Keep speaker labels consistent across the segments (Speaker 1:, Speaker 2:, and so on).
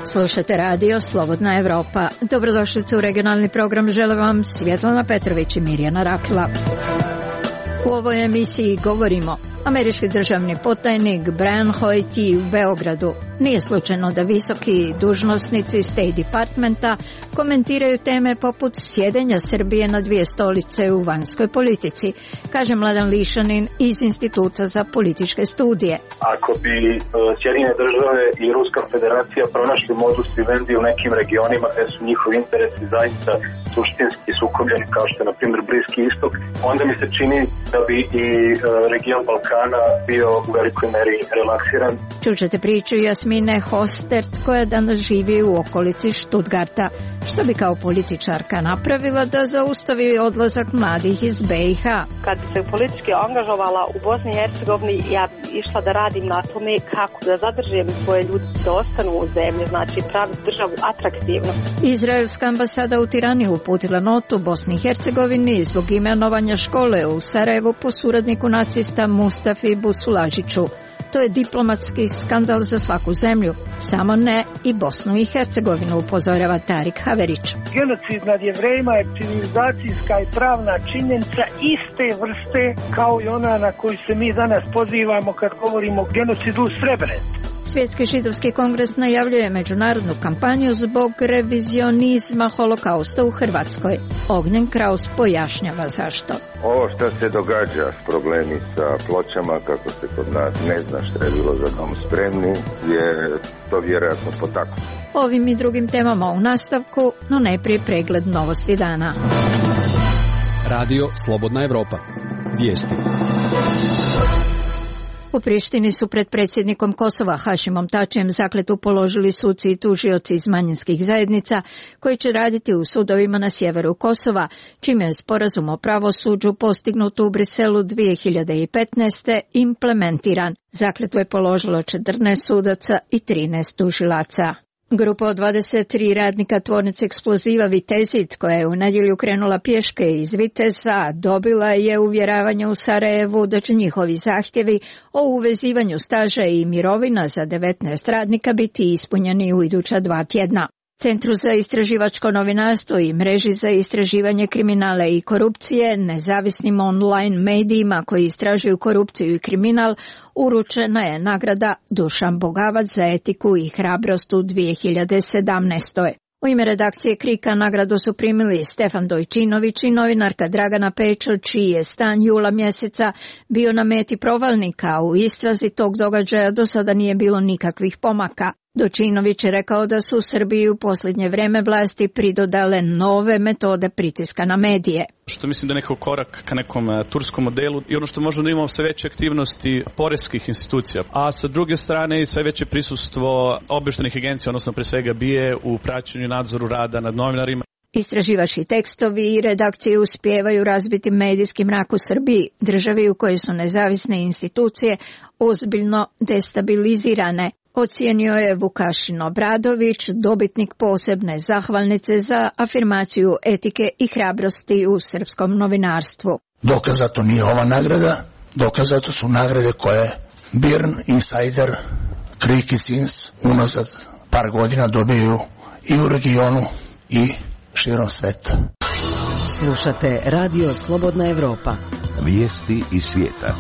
Speaker 1: Slušate radio Slobodna Evropa. Dobrodošlice u regionalni program. Žele vam Svjetlana Petrović i Mirjana Rakila. U ovoj emisiji govorimo: američki državni potajnik Brian Hoyt u Beogradu. Nije slučajno da visoki dužnosnici State Departmenta komentiraju teme poput sjedenja Srbije na dvije stolice u vanjskoj politici, kaže Mladen Lišanin iz Instituta za političke studije.
Speaker 2: Ako bi Sjedinjene države i Ruska federacija pronašli modus vivendi u nekim regionima gdje su njihovi interesi zaista suštinski sukobljeni, kao što je na primjer Bliski istok, onda mi se čini da bi i region Balkana bio u velikoj meri relaksiran.
Speaker 1: Čućete priču Jasmine Hostert, koja danas živi u okolici Stuttgarta. Što bi kao političarka napravila da zaustavi odlazak mladih iz BiH?
Speaker 3: Kad bi se politički angažovala u Bosni i Hercegovini, ja bi išla da radim na tome kako da zadržim svoje ljude da ostanu u zemlji, znači pravi državu atraktivno. Izraelska
Speaker 1: ambasada u Tirani uputila notu Bosni i Hercegovini zbog imenovanja škole u Sarajevu po suradniku nacista Mustafi Busulažiću. To je diplomatski skandal za svaku zemlju, samo ne i Bosnu i Hercegovinu, upozorava Tarik Haverić.
Speaker 4: Genocid nad Jevrejima je civilizacijska i pravna činjenica iste vrste kao i ona na koju se mi danas pozivamo kad govorimo o genocidu u Srebrenici.
Speaker 1: Svjetski židovski kongres najavljuje međunarodnu kampanju zbog revizionizma holokausta u Hrvatskoj. Ognjen Kraus pojašnjava zašto.
Speaker 5: Ovo što se događa s problemi sa pločama, kako se kod nas ne zna što je bilo za dom spremni, je to vjerojatno potaknuto.
Speaker 1: Ovim i drugim temama u nastavku, no najprije pregled novosti dana.
Speaker 6: Radio Slobodna Evropa. Vijesti.
Speaker 1: U Prištini su pred predsjednikom Kosova Hašimom Tačijem zakletvu položili suci i tužioci iz manjinskih zajednica koji će raditi u sudovima na sjeveru Kosova, čime je sporazum o pravosuđu postignut u Briselu 2015. implementiran. Zakletvu je položilo 14 sudaca i 13 tužilaca. Grupa od 23 radnika tvornice eksploziva Vitezit, koja je u nedjelju krenula pješke iz Viteza, dobila je uvjeravanje u Sarajevu da će njihovi zahtjevi o uvezivanju staža i mirovina za 19 radnika biti ispunjeni u iduća 2 tjedna. Centru za istraživačko novinarstvo i mreži za istraživanje kriminala i korupcije, nezavisnim online medijima koji istražuju korupciju i kriminal, uručena je nagrada Dušan Bogavac za etiku i hrabrost u 2017. U ime redakcije Krika nagradu su primili Stefan Dojčinović i novinarka Dragana Pečo, čiji je stan jula mjeseca bio na meti provalnika. U istrazi tog događaja do sada nije bilo nikakvih pomaka. Dojčinović je rekao da su u Srbiji u posljednje vrijeme vlasti pridodale nove metode pritiska na medije.
Speaker 7: Što mislim da je nekako korak ka nekom turskom modelu i ono što možemo da imamo sve veće aktivnosti poreskih institucija, a sa druge strane i sve veće prisustvo obavještajnih agencija, odnosno pre svega BIA u praćenju i nadzoru rada nad novinarima.
Speaker 1: Istraživački tekstovi i redakcije uspijevaju razbiti medijski mrak u Srbiji, državi u kojoj su nezavisne institucije ozbiljno destabilizirane, ocijenio je Vukašin Obradović, dobitnik posebne zahvalnice za afirmaciju etike i hrabrosti u srpskom novinarstvu.
Speaker 8: Dokaz za to nije ova nagrada, dokaz za to su nagrade koje BIRN, Insider, Krik i Sins unazad par godina dobiju i u regionu i širom sveta.
Speaker 9: Slušate Radio Slobodna Evropa.
Speaker 10: Vijesti iz svijeta.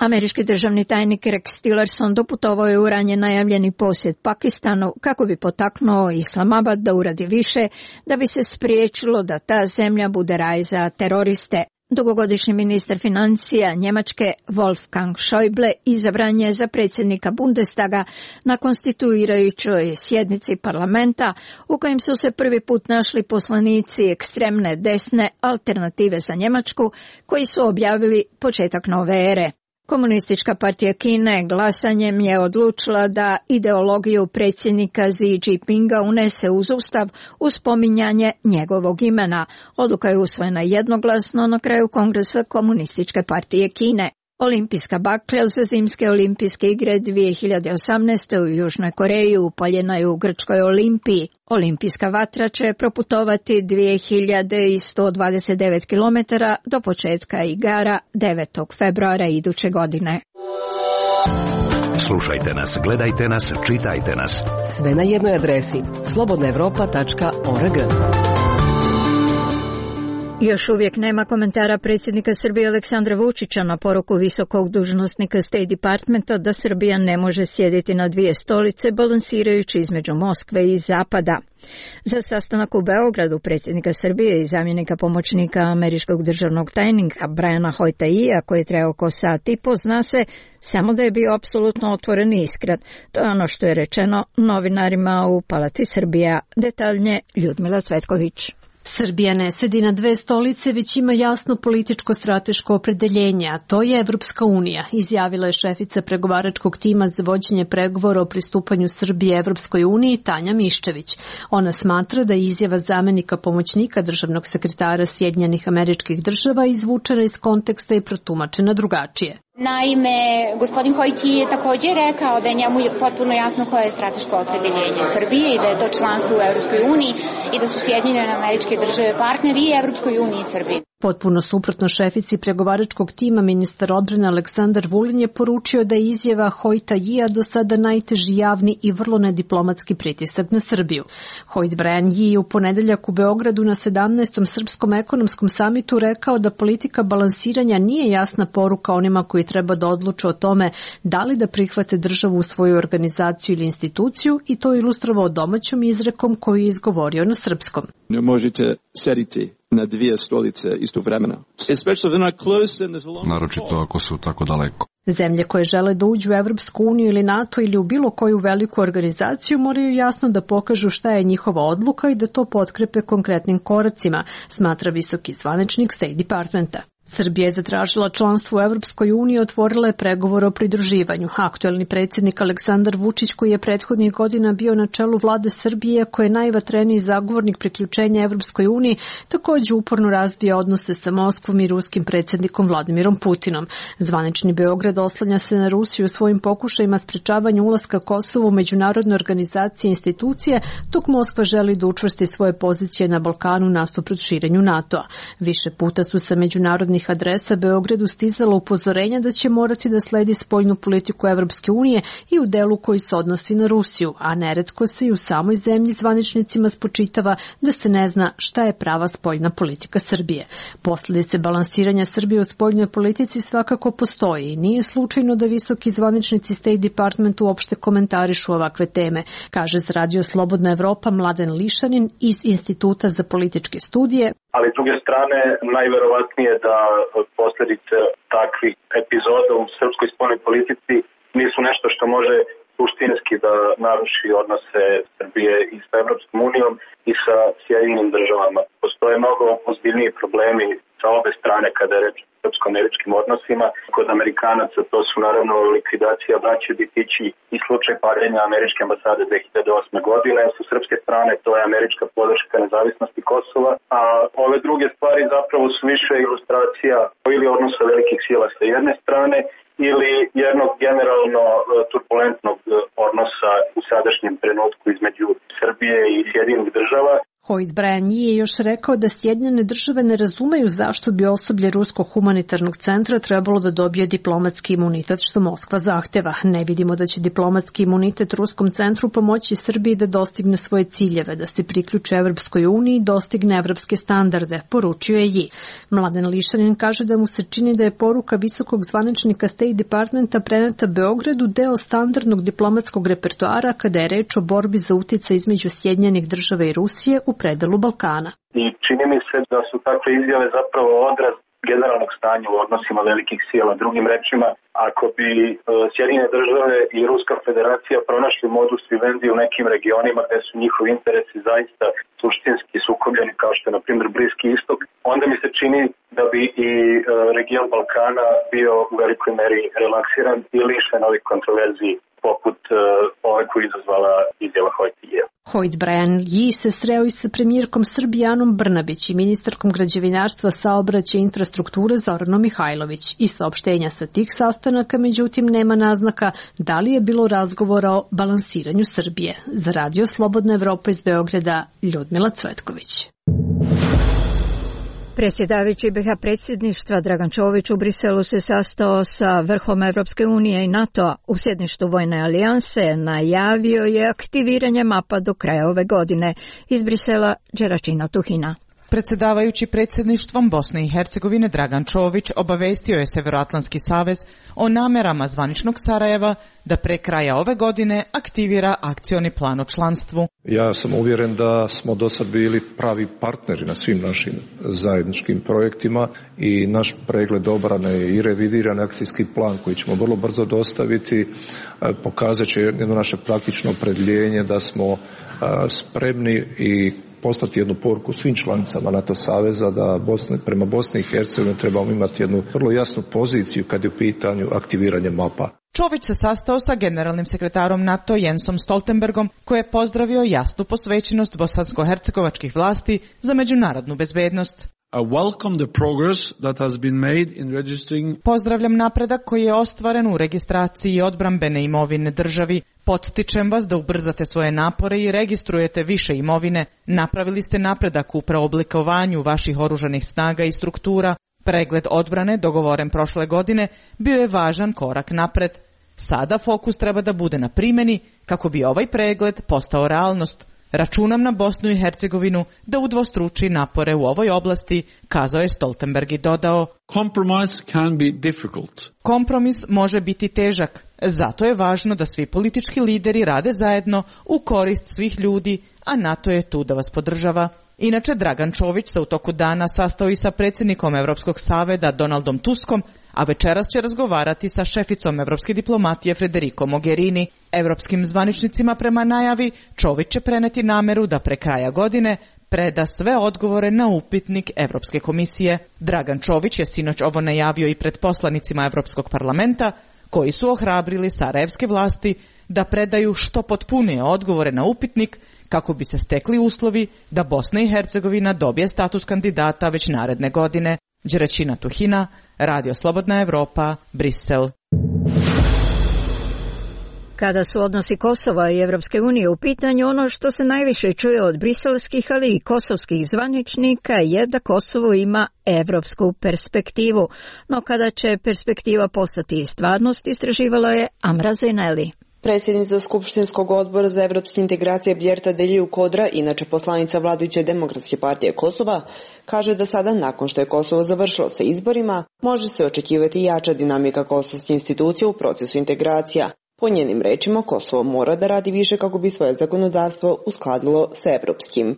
Speaker 1: Američki državni tajnik Rex Tillerson doputovao je u ranije najavljeni posjet Pakistanu kako bi potaknuo Islamabad da uradi više da bi se spriječilo da ta zemlja bude raj za teroriste. Dugogodišnji ministar financija Njemačke Wolfgang Schäuble izabran je za predsjednika Bundestaga na konstituirajućoj sjednici parlamenta u kojem su se prvi put našli poslanici ekstremne desne Alternative za Njemačku koji su objavili početak nove ere. Komunistička partija Kine glasanjem je odlučila da ideologiju predsjednika Xi Jinpinga unese uz ustav uz spominjanje njegovog imena. Odluka je usvojena jednoglasno na kraju Kongresa Komunističke partije Kine. Olimpijska baklja za zimske olimpijske igre 2018. u Južnoj Koreji upaljena je u grčkoj Olimpiji. Olimpijska vatra će proputovati 2129 km do početka igara 9. februara iduće godine.
Speaker 10: Slušajte nas, gledajte nas, čitajte nas.
Speaker 9: Sve na jednoj adresi slobodnaevropa.org.
Speaker 1: Još uvijek nema komentara predsjednika Srbije Aleksandra Vučića na poruku visokog dužnosnika State Departmenta da Srbija ne može sjediti na dvije stolice balansirajući između Moskve i Zapada. Za sastanak u Beogradu predsjednika Srbije i zamjenika pomoćnika američkog državnog tajnika Briana Hoyta-Ija, koji je trajao oko sat i po, zna se samo da je bio apsolutno otvoren i iskren. To je ono što je rečeno novinarima u Palati Srbija. Detaljnije Ljudmila Cvetković.
Speaker 11: Srbija ne sedi na dve stolice, već ima jasno političko-strateško opredeljenje, a to je Evropska unija, izjavila je šefica pregovaračkog tima za vođenje pregovora o pristupanju Srbije Evropskoj uniji Tanja Miščević. Ona smatra da je izjava zamenika pomoćnika državnog sekretara Sjedinjenih Američkih Država izvučena iz konteksta i protumačena drugačije.
Speaker 12: Naime, gospodin Hojti je također rekao da je njemu potpuno jasno koje je strateško opredeljenje Srbije i da je to članstvo u Evropskoj uniji i da su Sjedinjene Američke Države partneri i Evropskoj uniji i Srbiji.
Speaker 11: Potpuno suprotno šefici pregovaračkog tima, ministar odbrane Aleksandar Vulin je poručio da je izjava Hoyta-Ija do sada najteži javni i vrlo nediplomatski pritisak na Srbiju. Hoyt Brian Yi je u ponedeljak u Beogradu na 17. Srpskom ekonomskom samitu rekao da politika balansiranja nije jasna poruka onima koji treba da odluče o tome da li da prihvate državu u svoju organizaciju ili instituciju, i to ilustrovao domaćom izrekom koju je izgovorio na srpskom.
Speaker 13: Ne možete sediti na dvije stolice istovremeno.
Speaker 14: Naročito ako su tako daleko.
Speaker 11: Zemlje koje žele da uđu u Evropsku uniju ili NATO ili u bilo koju veliku organizaciju moraju jasno da pokažu šta je njihova odluka i da to potkrepe konkretnim koracima, smatra visoki zvaničnik State Departmenta. Srbija je zatražila članstvo u Evropskoj uniji i otvorila je pregovor o pridruživanju. Aktuelni predsjednik Aleksandar Vučić, koji je prethodnih godina bio na čelu vlade Srbije, koji je najvatreniji zagovornik priključenja Evropskoj uniji, također uporno razvija odnose sa Moskvom i ruskim predsjednikom Vladimirom Putinom. Zvanični Beograd oslanja se na Rusiju u svojim pokušajima sprečavanja ulaska Kosova u međunarodne organizacije i institucije, dok Moskva želi da učvrsti svoje pozicije na Balkanu nasuprot širenju NATO-a. Više puta su sa međunarodnih adresa Beogradu stizala upozorenja da će morati da sledi spoljnu politiku Evropske unije i u delu koji se odnosi na Rusiju, a neretko se i u samoj zemlji zvaničnicima spočitava da se ne zna šta je prava spoljna politika Srbije. Posljedice balansiranja Srbije u spoljnoj politici svakako postoji i nije slučajno da visoki zvaničnici State Department uopšte komentarišu ovakve teme, kaže za Radio Slobodna Evropa Mladen Lišanin iz Instituta za političke studije.
Speaker 2: Ali s druge strane, najverovatnije da posljedice takvih epizoda u srpskoj spoljnoj politici nisu nešto što može suštinski da naruši odnose Srbije i sa Evropskom unijom i sa Sjedinjenim Državama. Postoje mnogo ozbiljniji problemi sa obe strane kada je reč o srpsko-američkim odnosima. Kod Amerikanaca to su naravno likvidacija braće Bitići i slučaj paljenja američke ambasade 2008. godine. Sa srpske strane to je američka podrška nezavisnosti Kosova, a ove druge stvari zapravo su više ilustracija ili odnosa velikih sila sa jedne strane ili jednog generalno turbulentnog odnosa u sadašnjem trenutku između Srbije i Sjedinjenih Država.
Speaker 11: Hoyt Brian je još rekao da Sjedinjene Države ne razumeju zašto bi osoblje Ruskog humanitarnog centra trebalo da dobije diplomatski imunitet što Moskva zahteva. Ne vidimo da će diplomatski imunitet Ruskom centru pomoći Srbiji da dostigne svoje ciljeve, da se priključi Evropskoj uniji i dostigne evropske standarde, poručio je Yi. Mladen Lišanin kaže da mu se čini da je poruka visokog zvaničnika State Departmenta preneta Beogradu deo standardnog diplomatskog repertoara kada je reč o borbi za uticaj između Sjedinjenih Država i Rusije u predelu Balkana.
Speaker 2: I čini mi se da su takve izjave zapravo odraz generalnog stanja u odnosima velikih sila. Drugim rečima, ako bi Sjedinjene Države i Ruska federacija pronašli modus vivendi u nekim regionima gde su njihovi interesi zaista suštinski sukobljeni, kao što je na primjer Bliski istok, onda mi se čini da bi i region Balkana bio u velikoj meri relaksiran i lišen ovih kontroverziji poput ove koju izazvala izjava Hojtije.
Speaker 11: Hoyt Brian Yi se sreo i sa premijerkom Srbije Anom Brnabić i ministarkom građevinarstva, saobraćaja i infrastrukture Zoranom Mihajlović. I saopštenja sa tih sastanaka, međutim, nema naznaka da li je bilo razgovora o balansiranju Srbije. Za Radio Slobodna Evropa iz Beograda, Ljudmila Cvetković.
Speaker 1: Predsjedavajući BiH predsjedništva Dragan Čović u Briselu se sastao sa vrhom Evropske unije i NATO-a. U sjedništvu Vojne alijanse najavio je aktiviranje mapa do kraja ove godine. Iz Brisela, Đeračina Tuhina.
Speaker 15: Predsjedavajući predsjedništvom Bosne i Hercegovine Dragan Čović obavestio je Severoatlantski savez o namerama zvaničnog Sarajeva da pre kraja ove godine aktivira akcioni plan o članstvu.
Speaker 16: Ja sam uvjeren da smo do sad bili pravi partneri na svim našim zajedničkim projektima i naš pregled obrane i revidiran akcijski plan koji ćemo vrlo brzo dostaviti pokazat će jedno naše praktično opredjeljenje da smo spremni i poslati jednu poruku svim članicama NATO saveza da prema Bosni i Hercegovini trebamo imati jednu vrlo jasnu poziciju kad je u pitanju aktiviranje mapa.
Speaker 15: Čović se sastao sa generalnim sekretarom NATO Jensom Stoltenbergom, koji je pozdravio jasnu posvećenost bosansko-hercegovačkih vlasti za međunarodnu bezbednost. Pozdravljam napredak koji je ostvaren u registraciji odbrambene imovine državi. Potičem vas da ubrzate svoje napore i registrujete više imovine. Napravili ste napredak u preoblikovanju vaših oružanih snaga i struktura. Pregled odbrane, dogovoren prošle godine, bio je važan korak napred. Sada fokus treba da bude na primjeni kako bi ovaj pregled postao realnost. Računam na Bosnu i Hercegovinu da udvostruči napore u ovoj oblasti, kazao je Stoltenberg i dodao: Kompromis može biti težak, zato je važno da svi politički lideri rade zajedno u korist svih ljudi, a NATO je tu da vas podržava. Inače, Dragan Čović se u toku dana sastao i sa predsjednikom Evropskog saveza Donaldom Tuskom, a večeras će razgovarati sa šeficom evropske diplomatije Federico Mogherini. Evropskim zvaničnicima prema najavi Čović će preneti nameru da pre kraja godine preda sve odgovore na upitnik Evropske komisije. Dragan Čović je sinoć ovo najavio i pred poslanicima Evropskog parlamenta, koji su ohrabrili sarajevske vlasti da predaju što potpunije odgovore na upitnik kako bi se stekli uslovi da Bosna i Hercegovina dobije status kandidata već naredne godine. Đeračina Tuhina, Radio Slobodna Evropa, Brisel.
Speaker 1: Kada su odnosi Kosova i Evropske unije u pitanju, ono što se najviše čuje od briselskih, ali i kosovskih zvaničnika je da Kosovo ima evropsku perspektivu. No kada će perspektiva postati stvarnost, istraživala je Amra Zeneli.
Speaker 17: Predsjednica Skupštinskog odbora za evropske integracije Bjerta Deliju Kodra, inače poslanica vladajuće Demokratske partije Kosova, kaže da sada, nakon što je Kosovo završilo sa izborima, može se očekivati jača dinamika kosovske institucije u procesu integracija. Po njenim rečima, Kosovo mora da radi više kako bi svoje zakonodavstvo uskladilo sa evropskim.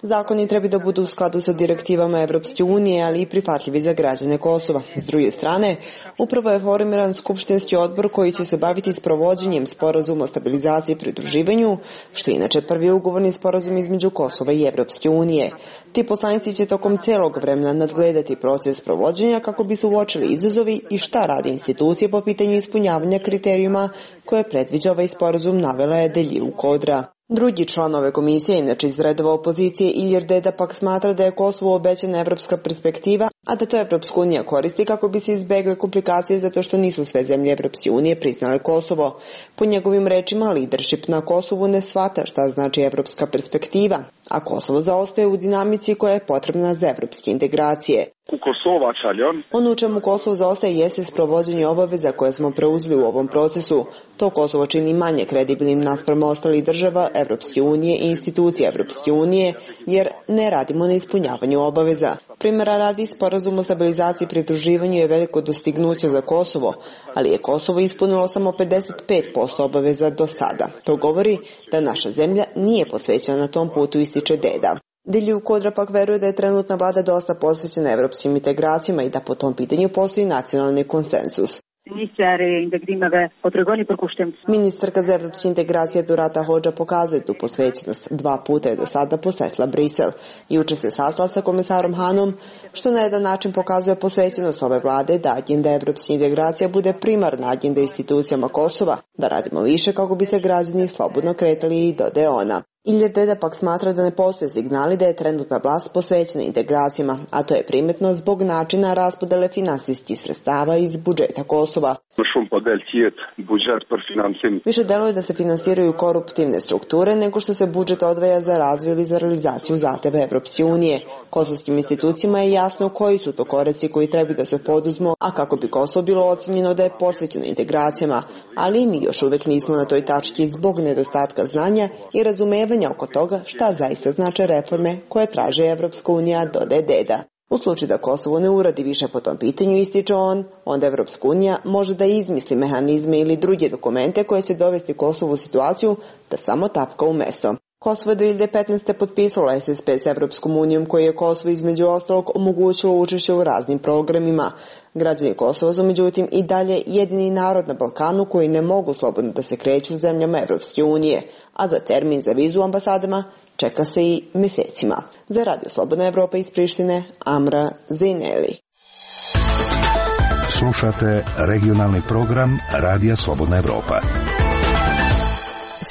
Speaker 17: Zakoni treba da budu u skladu sa direktivama Evropske unije, ali i prihvatljivi za građane Kosova. S druge strane, upravo je formiran skupštinski odbor koji će se baviti sprovođenjem sporazuma o stabilizaciji i pridruživanju, što je inače prvi ugovorni sporazum između Kosova i Evropske unije. Ti poslanici će tokom celog vremena nadgledati proces sprovođenja kako bi se uočili izazovi i šta radi institucije po pitanju ispunjavanja kriterijuma koje predviđa ovaj sporazum, navela je Deliju Kodra. Drugi član ove komisije, inače iz redova opozicije, Ilir Deda, pak smatra da je Kosovo obećana evropska perspektiva, a da to Evropska unija koristi kako bi se izbegle komplikacije zato što nisu sve zemlje Evropske unije priznale Kosovo. Po njegovim rečima, leadership na Kosovu ne shvata šta znači evropska perspektiva, a Kosovo zaostaje u dinamici koja je potrebna za evropske integracije. Ono u čemu Kosovo zaostaje jeste sprovođenje obaveza koje smo preuzeli u ovom procesu. To Kosovo čini manje kredibilnim naspram ostalih država Evropske unije i institucija Evropske unije, jer ne radimo na ispunjavanju obaveza. Primjera radi, sporazum o stabilizaciji i pridruživanju je veliko dostignuće za Kosovo, ali je Kosovo ispunilo samo 55% obaveza do sada. To govori da naša zemlja nije posvećena na tom putu, ističe Deda. Deliju Kodra pak veruje da je trenutna vlada dosta posvećena evropskim integracijama i da po tom pitanju postoji nacionalni konsensus. Ministarka za evropske integracije Durata Hodža pokazuje tu posvećenost. 2 puta je do sada posetila Brisel. Juče se sastala sa komisarom Hanom, što na jedan način pokazuje posvećenost ove vlade da agenda evropske integracija bude primarna agenda institucijama Kosova, da radimo više kako bi se građani slobodno kretali, i dodaje ona. Iljer Deda pak smatra da ne postoje signali da je trenutna vlast posvećena integracijama, a to je primetno zbog načina raspodele finansijskih sredstava iz budžeta Kosova. Više deluje da se finansiraju koruptivne strukture nego što se budžet odvaja za razvoj ili za realizaciju zahteva Evropske unije. Kosovskim institucijama je jasno koji su to koraci koji treba da se poduzmu, a kako bi Kosovo bilo ocenjeno da je posvećeno integracijama, ali mi još uvek nismo na toj tački zbog nedostatka znanja i razumevanja oko toga šta zaista znače reforme koje traže Evropska unija, dodaje Deda. U slučaju da Kosovo ne uradi više po tom pitanju, ističe on, onda Evropska unija može da izmisli mehanizme ili druge dokumente koje će dovesti Kosovo u situaciju da samo tapka u mesto. Kosovo je 2015. potpisalo SSP s Evropskom unijom koji je Kosovo između ostalog omogućilo učešće u raznim programima. Građani Kosova su međutim i dalje jedini narod na Balkanu koji ne mogu slobodno da se kreću u zemljama Evropske unije, a za termin za vizu u ambasadama čeka se i mesecima. Za Radio Slobodna Evropa iz Prištine, Amra Zejneli.
Speaker 10: Slušate regionalni program Radija Slobodna Evropa.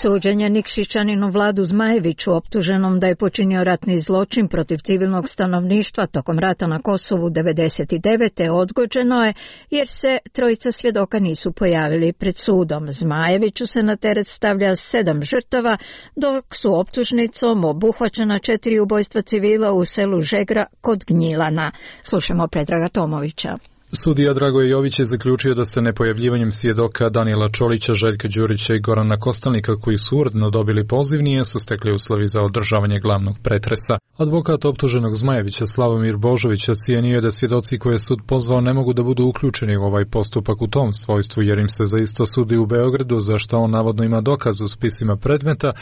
Speaker 1: Suđenje Nikšićaninu Vladu Zmajeviću, optuženom da je počinio ratni zločin protiv civilnog stanovništva tokom rata na Kosovu 1999. odgođeno je jer se 3 svjedoka nisu pojavili pred sudom. Zmajeviću se na teret stavlja 7 žrtava, dok su optužnicom obuhvaćena 4 ubojstva civila u selu Žegra kod Gnjilana. Slušamo Predraga Tomovića.
Speaker 18: Sudija Dragoje Jović je zaključio da se nepojavljivanjem svjedoka Danijela Čolića, Željka Đurića i Gorana Kostelnika, koji su uredno dobili poziv, nisu stekli uslovi za održavanje glavnog pretresa. Advokat optuženog Zmajevića Slavomir Božović ocijenio je da svjedoci koje je sud pozvao ne mogu da budu uključeni u ovaj postupak u tom svojstvu, jer im se za isto sudi u Beogradu, za što on navodno ima dokaz u spisima predmeta,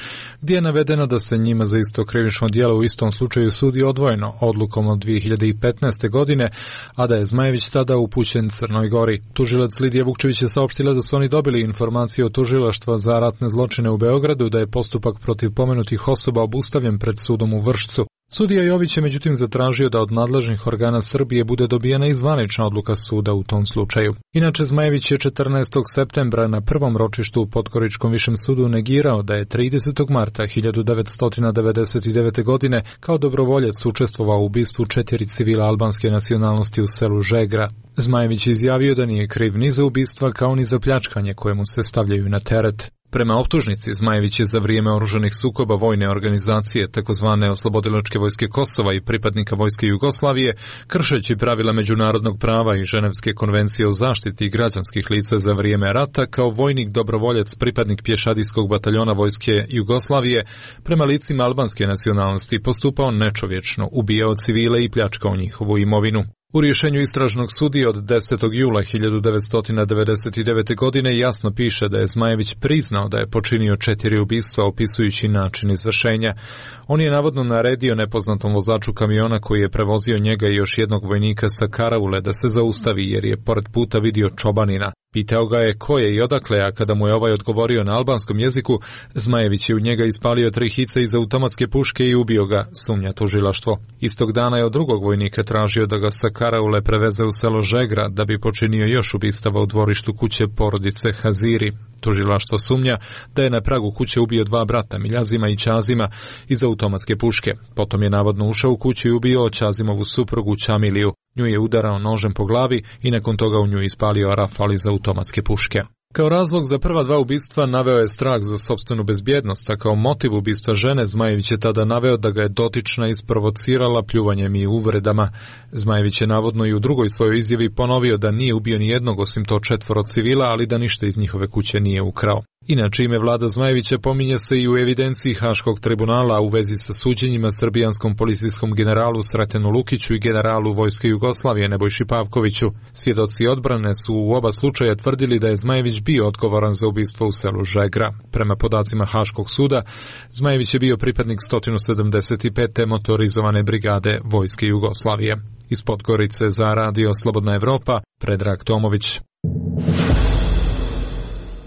Speaker 18: gdje je navedeno da se njima za isto krivično djelo u istom slučaju sudi odvojeno odlukom od 2015. godine, a da je Zmajević tada upućen Crnoj Gori. Tužilac Lidija Vukčević je saopštila da su oni dobili informaciju od tužilaštva za ratne zločine u Beogradu da je postupak protiv pomenutih osoba obustavljen pred sudom u Vršcu. Sudija Jović je međutim zatražio da od nadležnih organa Srbije bude dobijena i zvanična odluka suda u tom slučaju. Inače, Zmajević je 14. septembra na prvom ročištu u Podgoričkom višem sudu negirao da je 30. marta 1999. godine kao dobrovoljac učestvovao u ubistvu 4 civila albanske nacionalnosti u selu Žegra. Zmajević je izjavio da nije kriv ni za ubistva kao ni za pljačkanje koje mu se stavljaju na teret. Prema optužnici, Zmajević je za vrijeme oružanih sukoba vojne organizacije, takozvane Oslobodilačke vojske Kosova i pripadnika vojske Jugoslavije, kršeći pravila međunarodnog prava i Ženevske konvencije o zaštiti građanskih lica za vrijeme rata, kao vojnik dobrovoljac pripadnik pješadijskog bataljona vojske Jugoslavije, prema licima albanske nacionalnosti postupao nečovječno, ubijao civile i pljačkao njihovu imovinu. U rješenju istražnog sudije od 10. jula 1999. godine jasno piše da je Zmajević priznao da je počinio 4 ubistva opisujući način izvršenja. On je navodno naredio nepoznatom vozaču kamiona koji je prevozio njega i još jednog vojnika sa karaule da se zaustavi jer je pored puta vidio čobanina. Pitao ga je ko je i odakle, a kada mu je ovaj odgovorio na albanskom jeziku, Zmajević je u njega ispalio 3 hice iz automatske puške i ubio ga, sumnja tužilaštvo. Istog dana je od drugog vojnika tražio da ga sa karaule preveze u selo Žegra da bi počinio još ubistava u dvorištu kuće porodice Haziri. Tužilaštvo sumnja da je na pragu kuće ubio 2 brata, Miljazima i Ćazima, iz automatske puške. Potom je navodno ušao u kuću i ubio Ćazimovu suprugu Ćamiliju. Nju je udarao nožem po glavi i nakon toga u nju ispalio rafal iz automatske puške. Kao razlog za prva 2 ubistva naveo je strah za sopstvenu bezbjednost, a kao motiv ubistva žene Zmajević je tada naveo da ga je dotična isprovocirala pljuvanjem i uvredama. Zmajević je navodno i u drugoj svojoj izjavi ponovio da nije ubio ni jednog osim to 4 civila, ali da ništa iz njihove kuće nije ukrao. Inače, ime Vlada Zmajevića pominje se i u evidenciji Haškog tribunala u vezi sa suđenjima srbijanskom policijskom generalu Sretenu Lukiću i generalu Vojske Jugoslavije Nebojši Pavkoviću. Svjedoci odbrane su u oba slučaja tvrdili da je Zmajević bio odgovoran za ubistvo u selu Žegra. Prema podacima Haškog suda, Zmajević je bio pripadnik 175. motorizovane brigade Vojske Jugoslavije. Iz Podgorice za Radio Slobodna Evropa, Predrag Tomović.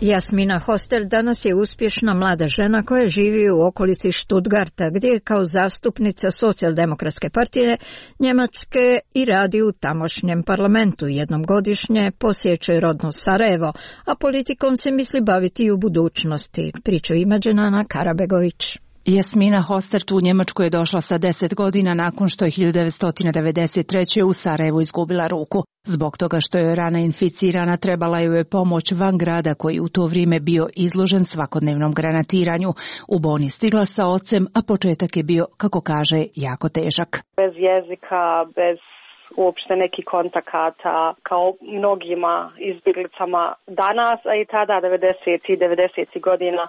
Speaker 1: Jasmina Hoster danas je uspješna mlada žena koja živi u okolici Stuttgarta, gdje je kao zastupnica Socijaldemokratske partije Njemačke i radi u tamošnjem parlamentu. Jednom godišnje posjećuje rodno Sarajevo, a politikom se misli baviti i u budućnosti. Priču ima Dženana Karabegović.
Speaker 19: Jasmina Hostert u Njemačku je došla sa 10 godina nakon što je 1993. u Sarajevu izgubila ruku. Zbog toga što je rana inficirana, trebala joj je pomoć van grada koji u to vrijeme bio izložen svakodnevnom granatiranju. U Bonn je stigla sa ocem, a početak je bio, kako kaže, jako težak.
Speaker 3: Bez jezika, bez uopšte nekih kontakata, kao mnogima izbjeglicama danas, a i tada 90. godina.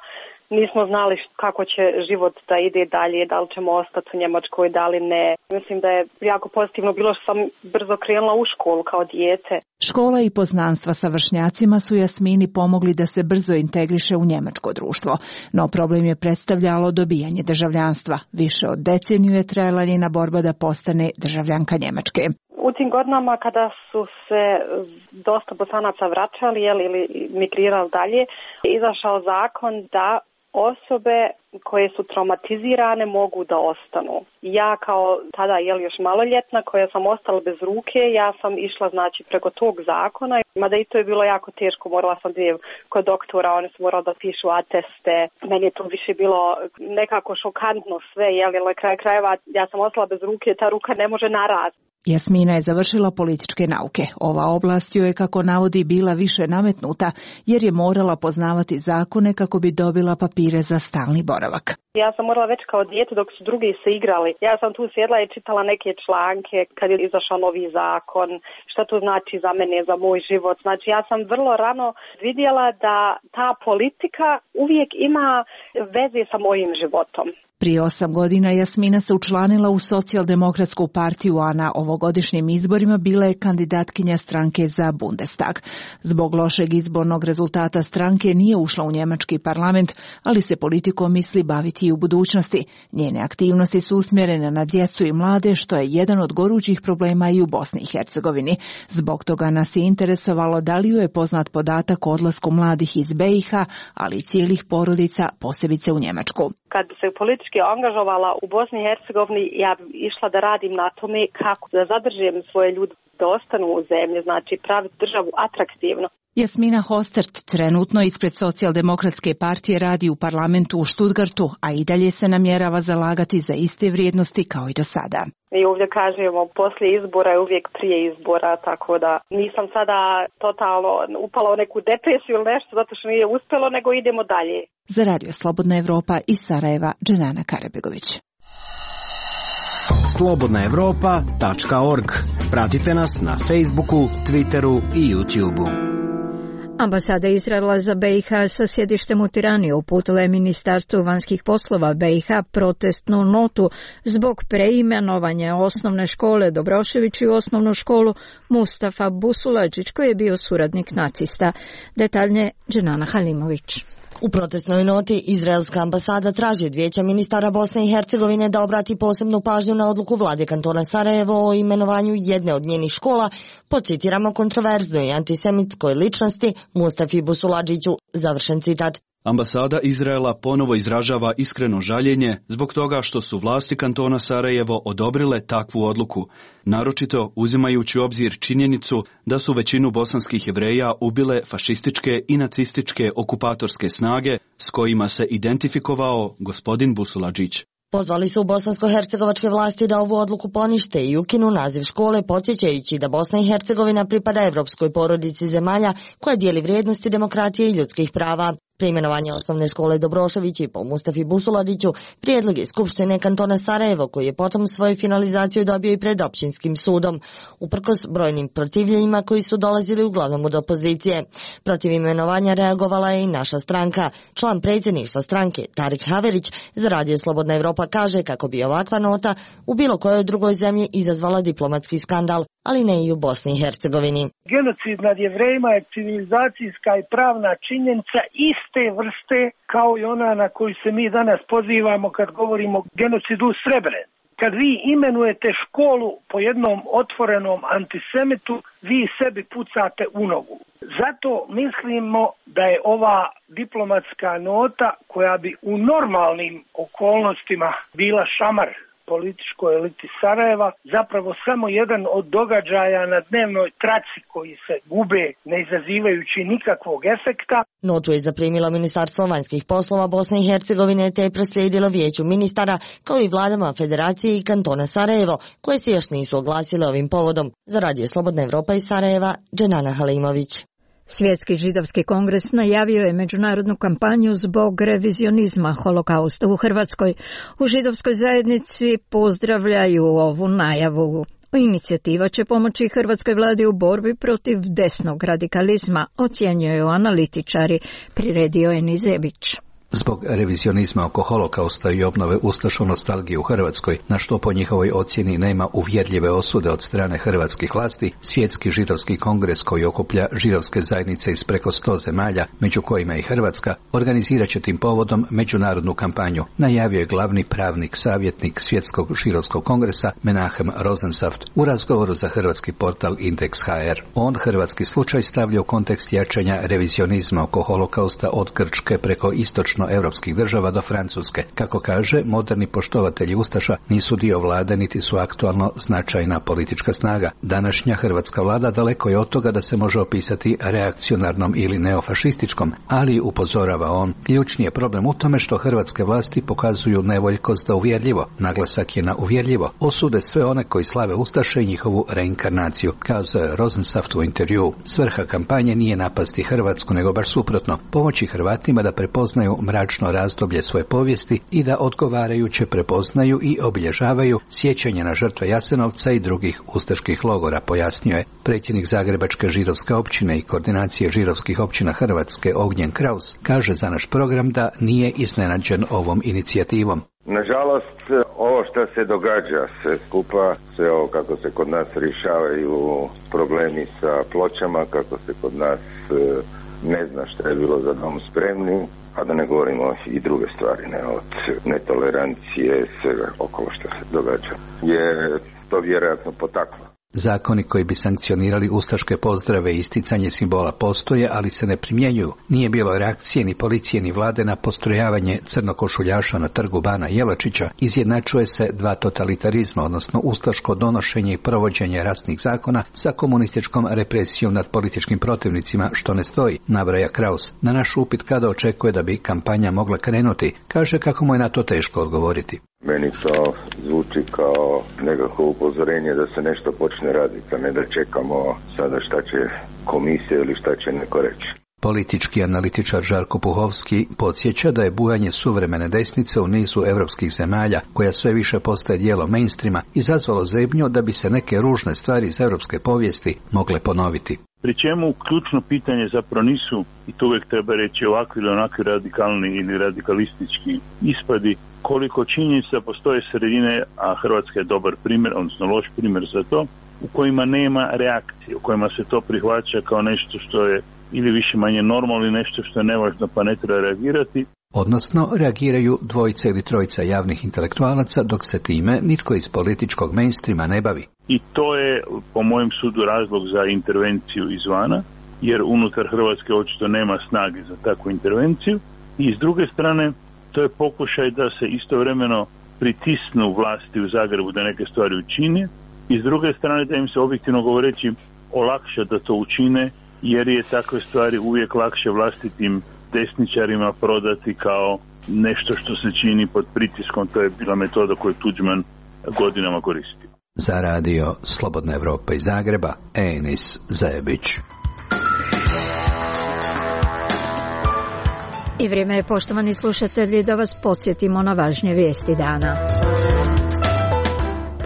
Speaker 3: Nismo znali kako će život da ide dalje, da li ćemo ostati u Njemačkoj, da li ne. Mislim da je jako pozitivno bilo što sam brzo krenula u školu kao dijete.
Speaker 19: Škola i poznanstva sa vršnjacima su Jasmini pomogli da se brzo integriše u njemačko društvo, no problem je predstavljalo dobijanje državljanstva. Više od deceniju je trajala njena borba da postane državljanka Njemačke.
Speaker 3: U tim godinama kada su se dosta Bosanaca vraćali ili migrirali dalje, izašao zakon da osobe koje su traumatizirane mogu da ostanu. Ja kao tada još maloljetna koja sam ostala bez ruke, ja sam išla preko tog zakona, mada i to je bilo jako teško, morala sam kod doktora, oni su morali da pišu ateste. Meni je to više bilo nekako šokantno sve, na kraju krajeva ja sam ostala bez ruke, ta ruka ne može naraz.
Speaker 19: Jasmina je završila političke nauke. Ova oblast joj je, kako navodi, bila više nametnuta, jer je morala poznavati zakone kako bi dobila papire za stalni boravak.
Speaker 3: Ja sam morala već kao dijete dok su drugi se igrali. Ja sam tu sjedla i čitala neke članke kad je izašao novi zakon, šta to znači za mene, za moj život. Znači ja sam vrlo rano vidjela da ta politika uvijek ima veze sa mojim životom.
Speaker 19: Prije 8 godina Jasmina se učlanila u Socijaldemokratsku partiju, a na ovogodišnjim izborima bila je kandidatkinja stranke za Bundestag. Zbog lošeg izbornog rezultata stranke nije ušla u njemački parlament, ali se politikom misli baviti i u budućnosti. Njene aktivnosti su usmjerene na djecu i mlade, što je jedan od gorućih problema i u Bosni i Hercegovini. Zbog toga nas je interesovalo da li joj je poznat podatak o odlasku mladih iz BiH, ali i cijelih porodica, posebice u Njemačku.
Speaker 3: Kad bi se politički angažovala u Bosni i Hercegovini, ja bi išla da radim na tome kako da zadržim svoje ljude da ostanu u zemlji, praviti državu atraktivno.
Speaker 19: Jasmina Hostert trenutno ispred Socijaldemokratske partije radi u parlamentu u Stuttgartu, a i dalje se namjerava zalagati za iste vrijednosti kao i do sada.
Speaker 3: Mi ovdje kažemo poslije izbora je uvijek prije izbora, tako da nisam sada totalno upala u neku depresiju ili nešto zato što nije uspjelo, nego idemo dalje.
Speaker 19: Za Radio Slobodna Evropa iz Sarajeva, Dženana Karabegović.
Speaker 20: slobodnaevropa.org. Pratite nas na Facebooku, Twitteru i YouTubeu.
Speaker 1: Ambasada Izraela za BiH sa sjedištem u Tirani uputila je Ministarstvu vanjskih poslova BiH protestnu notu zbog preimenovanja osnovne škole Dobrošević u osnovnu školu Mustafa Busuladžić, koji je bio suradnik nacista. Detaljnije Dženana Halimović.
Speaker 21: U protestnoj noti izraelska ambasada traži od Vijeća ministara Bosne i Hercegovine da obrati posebnu pažnju na odluku vlade kantona Sarajevo o imenovanju jedne od njenih škola po, citiramo, kontroverznoj i antisemitskoj ličnosti Mustafi Busuladžiću, završen citat.
Speaker 22: Ambasada Izraela ponovo izražava iskreno žaljenje zbog toga što su vlasti kantona Sarajevo odobrile takvu odluku, naročito uzimajući u obzir činjenicu da su većinu bosanskih Jevreja ubile fašističke i nacističke okupatorske snage s kojima se identifikovao gospodin Busuladžić.
Speaker 21: Pozvali su bosansko-hercegovačke vlasti da ovu odluku ponište i ukinu naziv škole, podsjećajući da Bosna i Hercegovina pripada evropskoj porodici zemalja koja dijeli vrijednosti demokratije i ljudskih prava. Preimenovanje osnovne škole Dobroševići po Mustafi Busuladžiću prijedlog je Skupštine kantona Sarajevo, koji je potom svoju finalizaciju dobio i pred općinskim sudom, uprkos brojnim protivljenjima koji su dolazili uglavnom od opozicije. Protiv imenovanja reagovala je i naša stranka. Član predsjedništva stranke Tarik Haverić za Radio Slobodna Evropa kaže kako bi ovakva nota u bilo kojoj drugoj zemlji izazvala diplomatski skandal, ali ne i u Bosni i Hercegovini.
Speaker 4: Genocid nad Jevrejima je civilizacijska i pravna činjenica iste vrste kao i ona na koju se mi danas pozivamo kad govorimo o genocidu u Srebrenici. Kad vi imenujete školu po jednom otvorenom antisemitu, vi sebi pucate u nogu. Zato mislimo da je ova diplomatska nota, koja bi u normalnim okolnostima bila šamar političkoj eliti Sarajeva, zapravo samo jedan od događaja na dnevnoj traci koji se gube ne izazivajući nikakvog efekta.
Speaker 21: Notu je zaprimilo Ministarstvo vanjskih poslova Bosne i Hercegovine te je proslijedilo Vijeću ministara kao i vladama Federacije i kantona Sarajevo, koje se još nisu oglasile ovim povodom. Za Radio Slobodna Evropa iz Sarajeva, Dženana Halimović.
Speaker 1: Svjetski židovski kongres najavio je međunarodnu kampanju zbog revizionizma holokausta u Hrvatskoj. U židovskoj zajednici pozdravljaju ovu najavu. Inicijativa će pomoći hrvatskoj vladi u borbi protiv desnog radikalizma, ocjenjuju analitičari, priredio je Nizebić.
Speaker 5: Zbog revizionizma oko holokausta i obnove ustaške nostalgije u Hrvatskoj, na što po njihovoj ocjeni nema uvjerljive osude od strane hrvatskih vlasti, Svjetski židovski kongres koji okuplja židovske zajednice iz preko 100 zemalja, među kojima i Hrvatska, organizirat će tim povodom međunarodnu kampanju, najavio je glavni pravnik savjetnik Svjetskog židovskog kongresa Menahem Rosensaft u razgovoru za hrvatski portal Indeks.hr. On hrvatski slučaj stavlja u kontekst jačanja revizionizma oko holokausta od Grčke preko istočno europskih država do Francuske. Kako kaže, moderni poštovatelji ustaša nisu dio vlade niti su aktualno značajna politička snaga. Današnja hrvatska vlada daleko je od toga da se može opisati reakcionarnom ili neofašističkom, ali upozorava on, ključni je problem u tome što hrvatske vlasti pokazuju nevoljkost da uvjerljivo, naglasak je na uvjerljivo, osude sve one koji slave ustaše i njihovu reinkarnaciju, kazao je Rosensaft u intervjuu. Svrha kampanje nije napasti Hrvatsku, nego baš suprotno, pomoći Hrvatima da prepoznaju mračno razdoblje svoje povijesti i da odgovarajuće prepoznaju i obilježavaju sjećanje na žrtve Jasenovca i drugih ustaških logora, pojasnio je. Predsjednik Zagrebačke židovske općine i koordinacije židovskih općina Hrvatske Ognjen Kraus kaže za naš program da nije iznenađen ovom inicijativom.
Speaker 6: Nažalost, ovo što se događa sve skupa, sve ovo kako se kod nas rješavaju problemi sa pločama, kako se kod nas ne zna što je bilo za dom spremni, a da ne govorimo i druge stvari, ne, od netolerancije, svega okolo što se događa, je to vjerojatno potaklo.
Speaker 5: Zakoni koji bi sankcionirali ustaške pozdrave i isticanje simbola postoje, ali se ne primjenjuju. Nije bilo reakcije ni policije ni vlade na postrojavanje crnokošuljaša na trgu Bana Jelačića. Izjednačuje se dva totalitarizma, odnosno ustaško donošenje i provođenje rasnih zakona sa komunističkom represijom nad političkim protivnicima, što ne stoji, nabraja Kraus. Na naš upit kada očekuje da bi kampanja mogla krenuti, kaže kako mu je na to teško odgovoriti.
Speaker 6: Meni to zvuči kao nekako upozorenje da se nešto počne raditi, a ne da čekamo sada šta će komisija ili šta će neko reći.
Speaker 5: Politički analitičar Žarko Puhovski podsjeća da je bujanje suvremene desnice u nizu europskih zemalja, koja sve više postaje dijelo mainstreama, izazvalo zebnju da bi se neke ružne stvari iz europske povijesti mogle ponoviti.
Speaker 23: Pri čemu ključno pitanje zapravo nisu, i to uvijek treba reći, ovakvi ili onakvi radikalni ili radikalistički ispadi, koliko činjenica postoje sredine, a Hrvatska je dobar primjer, odnosno loš primjer za to, u kojima nema reakcije, u kojima se to prihvaća kao nešto što je ili više manje normalno ili nešto što je nevažno pa ne treba reagirati.
Speaker 5: Odnosno, reagiraju dvojica ili trojica javnih intelektualaca, dok se time nitko iz političkog mainstreama ne bavi.
Speaker 23: I to je, po mojem sudu, razlog za intervenciju izvana, jer unutar Hrvatske očito nema snage za takvu intervenciju. I s druge strane, to je pokušaj da se istovremeno pritisnu vlasti u Zagrebu da neke stvari učine, i s druge strane da im se objektivno govoreći olakša da to učine, jer je takve stvari uvijek lakše vlastitim desničarima prodati kao nešto što se čini pod pritiskom. To je bila metoda koju Tuđman godinama koristio.
Speaker 5: Za radio Slobodna Evropa iz Zagreba, Enis Zajebić.
Speaker 1: I vrijeme je, poštovani slušatelji, da vas podsjetimo na važnije vijesti dana.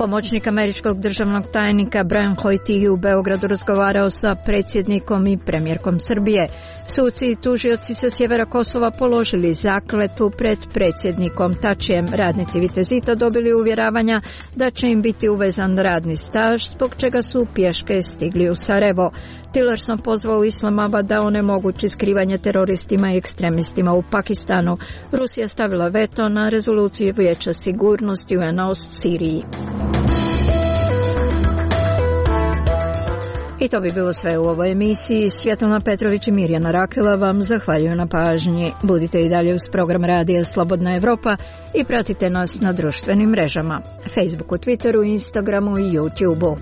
Speaker 1: Pomoćnik američkog državnog tajnika Brian Hoyt u Beogradu razgovarao sa predsjednikom i premijerkom Srbije. Suci i tužioci sa sjevera Kosova položili zakletvu pred predsjednikom Tačijem. Radnici Vitezita dobili uvjeravanja da će im biti uvezan radni staž, zbog čega su pješke stigli u Sarajevo. Tillerson pozvao Islamabad da onemogući skrivanje teroristima i ekstremistima u Pakistanu. Rusija stavila veto na rezoluciju Vijeća sigurnosti UN-a o Siriji. I to bi bilo sve u ovoj emisiji. Svjetlana Petrović i Mirjana Rakela vam zahvaljuju na pažnji. Budite i dalje uz program Radija Slobodna Evropa i pratite nas na društvenim mrežama, Facebooku, Twitteru, Instagramu i YouTubeu.